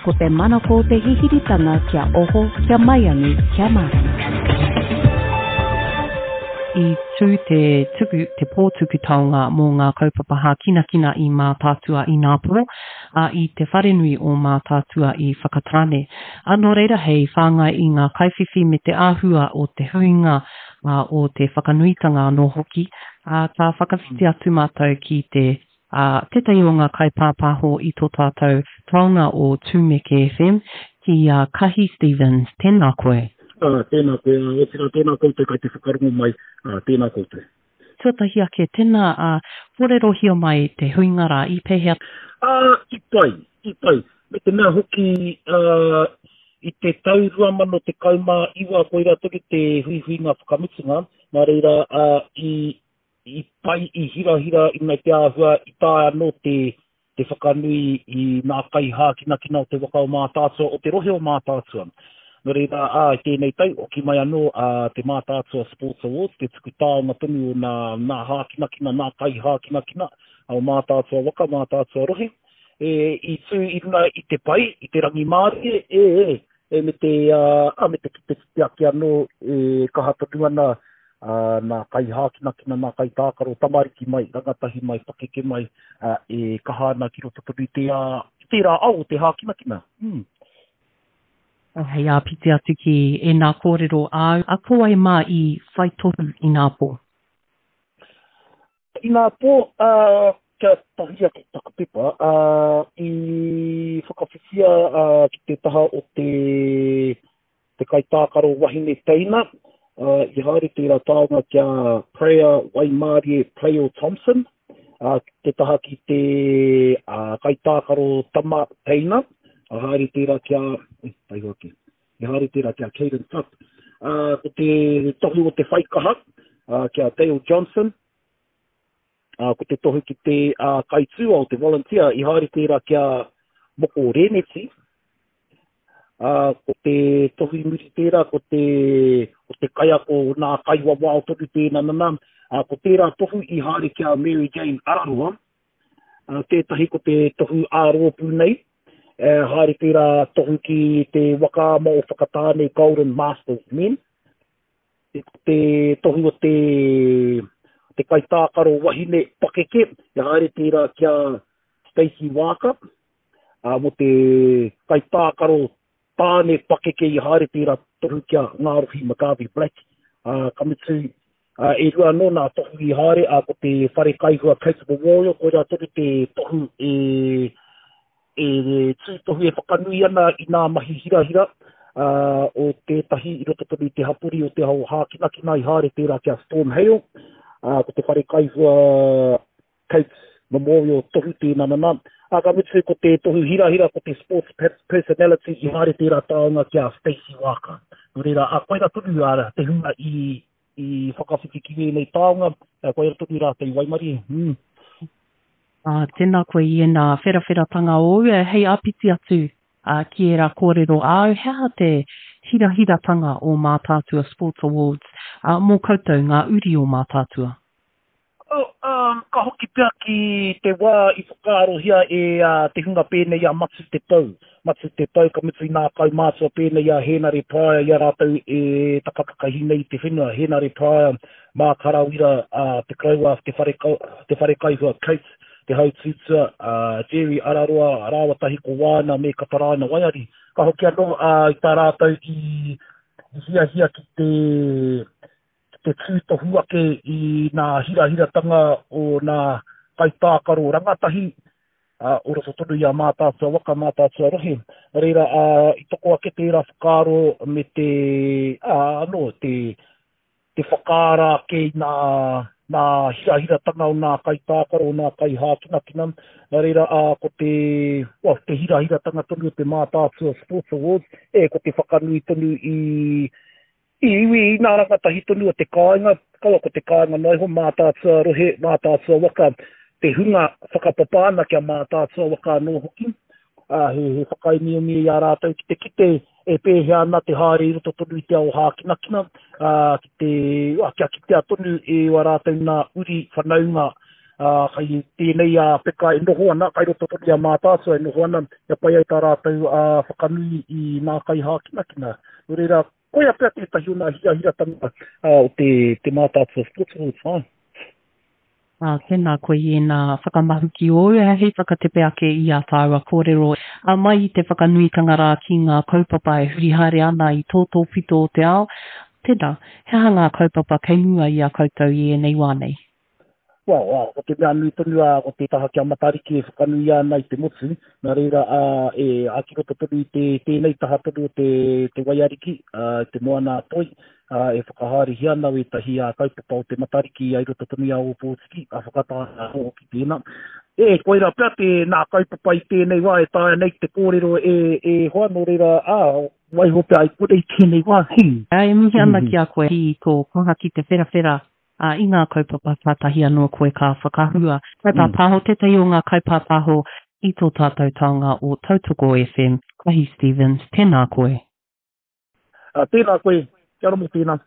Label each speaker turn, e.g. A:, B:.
A: Ko te manako o te hihiritanga kia oho, kia maiangi, kia mārama.
B: I tū te tuku, te pō tuku taonga mō ngā kaupapa hākinakina i Mātaatua ināpō, ā, i te wharenui o Mātaatua i Whakatāne. Ā, nō reira hei whāngai i ngā kaiwhiwhi me te āhua o te huinga, ā, o te whakanuitanga anō hoki, ā, ka whakawhiti atu mātou ki te Ā, tētahi o ngā kaipāpāho i tō tātou taonga o Tūmeke FM, ki a Kahi Stevens, tēnā koe.
C: Ā, tēnā koe, ā, otirā tēnā koutou kai te whakarongo mai, ā, tēnā koutou.
B: Tuatahi ake, tēnā, ā, kōrerohia mai te huinga rā, i pēhea?
C: Ā, i pai, i pai. Me te mea hoki, ā, i te tau 2019 koirā tonu te huihuinga whakamutunga, nā reira, ā, i, I pai, i hirahira i runga i te āhua i taea anō te te whakanui i nā kaihākinakina o te waka o Mātaatua, o te rohe o Mātaatua. Nō reira, ā, i tēnei tau, hoki mai anō a te Mātaatua Sports Awards, te tuku taonga tonu o nā, nā hākinakina, nā kaihākinakina o Mātaatua waka, Mātaatua rohe, e, i tū i runga i te pai, i te rangimārie, e, e, e, me te, ā, me te kite kite ake anō e kaha tonu ana ā, nā kaihākinakina, nā kaitākaro tamariki mai, rangatahi mai, pakeke mai, ā, e kaha ana ki roto tonu i te, ā, i tērā ao o te hākinakina. Mm.
B: Hei āpiti atu ki ēnā kōrero āu, a ko wai mā i whai tohu ināpō?
C: Ināpō, ā, kia tahuri ake taku pepa, ā, i whakawhiwhia, ā, ki te taha o te, te kaitākaro wahine teina, ā, i haere tērā taonga ki a Preya Waimārie Playo Thompson, ā, te taha ki te ā, kaitākaro tama teina, ā, haere tērā ki a, e, taiho ake, i haere tērā ki a Caden Tutt, ā, ko te tohu o te whaikaha, ā, ki a Dale Johnson, ā, ko te tohu ki te ā, kaitūao, te volunteer, i haere tērā ki a Moko Rēneti, ā, ko te tohu i muri tērā, ko te, ko te kaiako o nā kaiwawao tonu tēnā nana, ā, ko tērā tohu i haere ki a Mary Jane Araroa, ā, tētahi ko te tohu ā-rōpū nei, e haere tērā tohu ki te waka ama o Whakatāne Golden Masters Men, Ko te tohu o te, te kaitākaro wahine pakeke, e haere tērā ki a Stacey Waaka, ā, mō te kaitākaro tāne pakeke i haere tērā tohu ki a Ngārohi McGarvey Black, ā, ka mutu, ā, e rua anō nā tohu i haere, ā, ko te Whare Kaihua Coates Memorial, koirā tonu te tohu e, e tūtohu e whakanui ana i nā mahi hirahira o tētahi i roto tonu i te hapori o te ao hākinakina i haere tērā ki a Storm Hale, ko te whare kaihua Coates Memorial tohu tēnā nana. Ā, ka mutu ko te tohu hirahira ko te Sports Personality i haere tērā taonga ki a Stacey Waaka. Nō reira, ā, koirā tonu te hunga i i whakawhiti ki wēnei taonga, koirā tonu rātou i waimarie. Mm.
B: Ā, tēnā koe i ēnā wherawheratanga ōu, hei āpiti atu ki ērā kōrero āu, he aha te hirahiratanga o Mātaatua Sports Awards mō koutou, ngā uri o Mātaatua?
C: Oh, ka hoki pea ki te wā i whakaarohia e te hunga pēnei i a Matu Te Pou. Matu Te Pou, ka mutu i nā kaumātua pēnei i a Hēnare Pryor i a rātou e takatakahi nei i te whenua. Hēnare Pryor, Mark Harawira, Te Koroua, Te Whare, Te Wharekaihua Coates, Te Hautūtua, Jerry Araroa rāua tahi ko Wāna me Kataraina Waiari. Ka hoki anō i tā rātou i hiahia ki te ki te tūtohu ake i nā hirahiratanga o nā kaitākaro rangatahi o roto tonu i a Mātaatua waka, Mātaatua rohe. Nā reira, i toko ake tērā whakaaro me te, ā, anō, te, te whakaara ake i nā, nā hirahiratanga o nā kaitākaro, o nā kaihākinakina. Nā reira, ā, ko te, well, te hirahiratanga tonu o te Mātaatua Sports Awards, e, ko te whakanui tonu i, I iwi i nā rangatahi tonu o te kāinga, kaua ko te kāinga noa iho, Mātaatua rohe, Mātaatua waka, te hunga whakapapa ana ki a Mātaatua waka anō hoki, ā, he, he whakaemiemi i a rātou ki te kite e pēhea ana te haere i roto tonu i te ao hākinakina, ā, ki te, ā, kia kitea tonu e ō rātou nā uri whanaunga. Ā, kai tēnei ā peka e noho ana, kai roto tonu i a Mātaatua e noho ana, kia pai ai tā rātou ā whakanui i nā kaihākinakina. Nō reira, koia pea tētahi o nā hirahiratanga o te, te Mātaatua Sports Awards, āe.
B: Ā, tēnā koe i ēnā whakamahuki ōu, hei whakatepe ake i ā tāua kōrero. Ā, mai i te whakanuitanga rā ki ngā kaupapa e huri haere ana i tō tōpito o te ao, tēnā, he aha ngā kaupapa kei mua i a koutou i ēnei wā nei?
C: Well, ā, ko te mea nui tonu, ā, ko te taha ki a Matariki e whakanuia ana i te motu, nā reira, ā, e, ā, ki roto tonu i te, tēnei taha tonu o te, te waiariki, ā, te moana a Toi, ā, e whakahaerehia ana wētahi, ā, kaupapa o te Matariki i roto tonu i a Ōpōtiki, ā, whakataetae anō hoki tēnā. E, koirā pea te, nā kaupapa i tēnei wā e taea nei te kōrero e, e hoa, nō reira, ā, waiho pea i konei tēnei wā, hī.
B: Ā, e mihi ana ki a koe i tō kaha ki te wherawhera Ā, i ngā kaupapa kātahi anō koe ka whakahua. Kaipāpāho, tētahi o ngā kaipāpāho i tō tātou taonga o Tautoko FM, Kahi Stevens, tēnā koe.
C: Ā, tēnā koe, kia ora mō tēnā.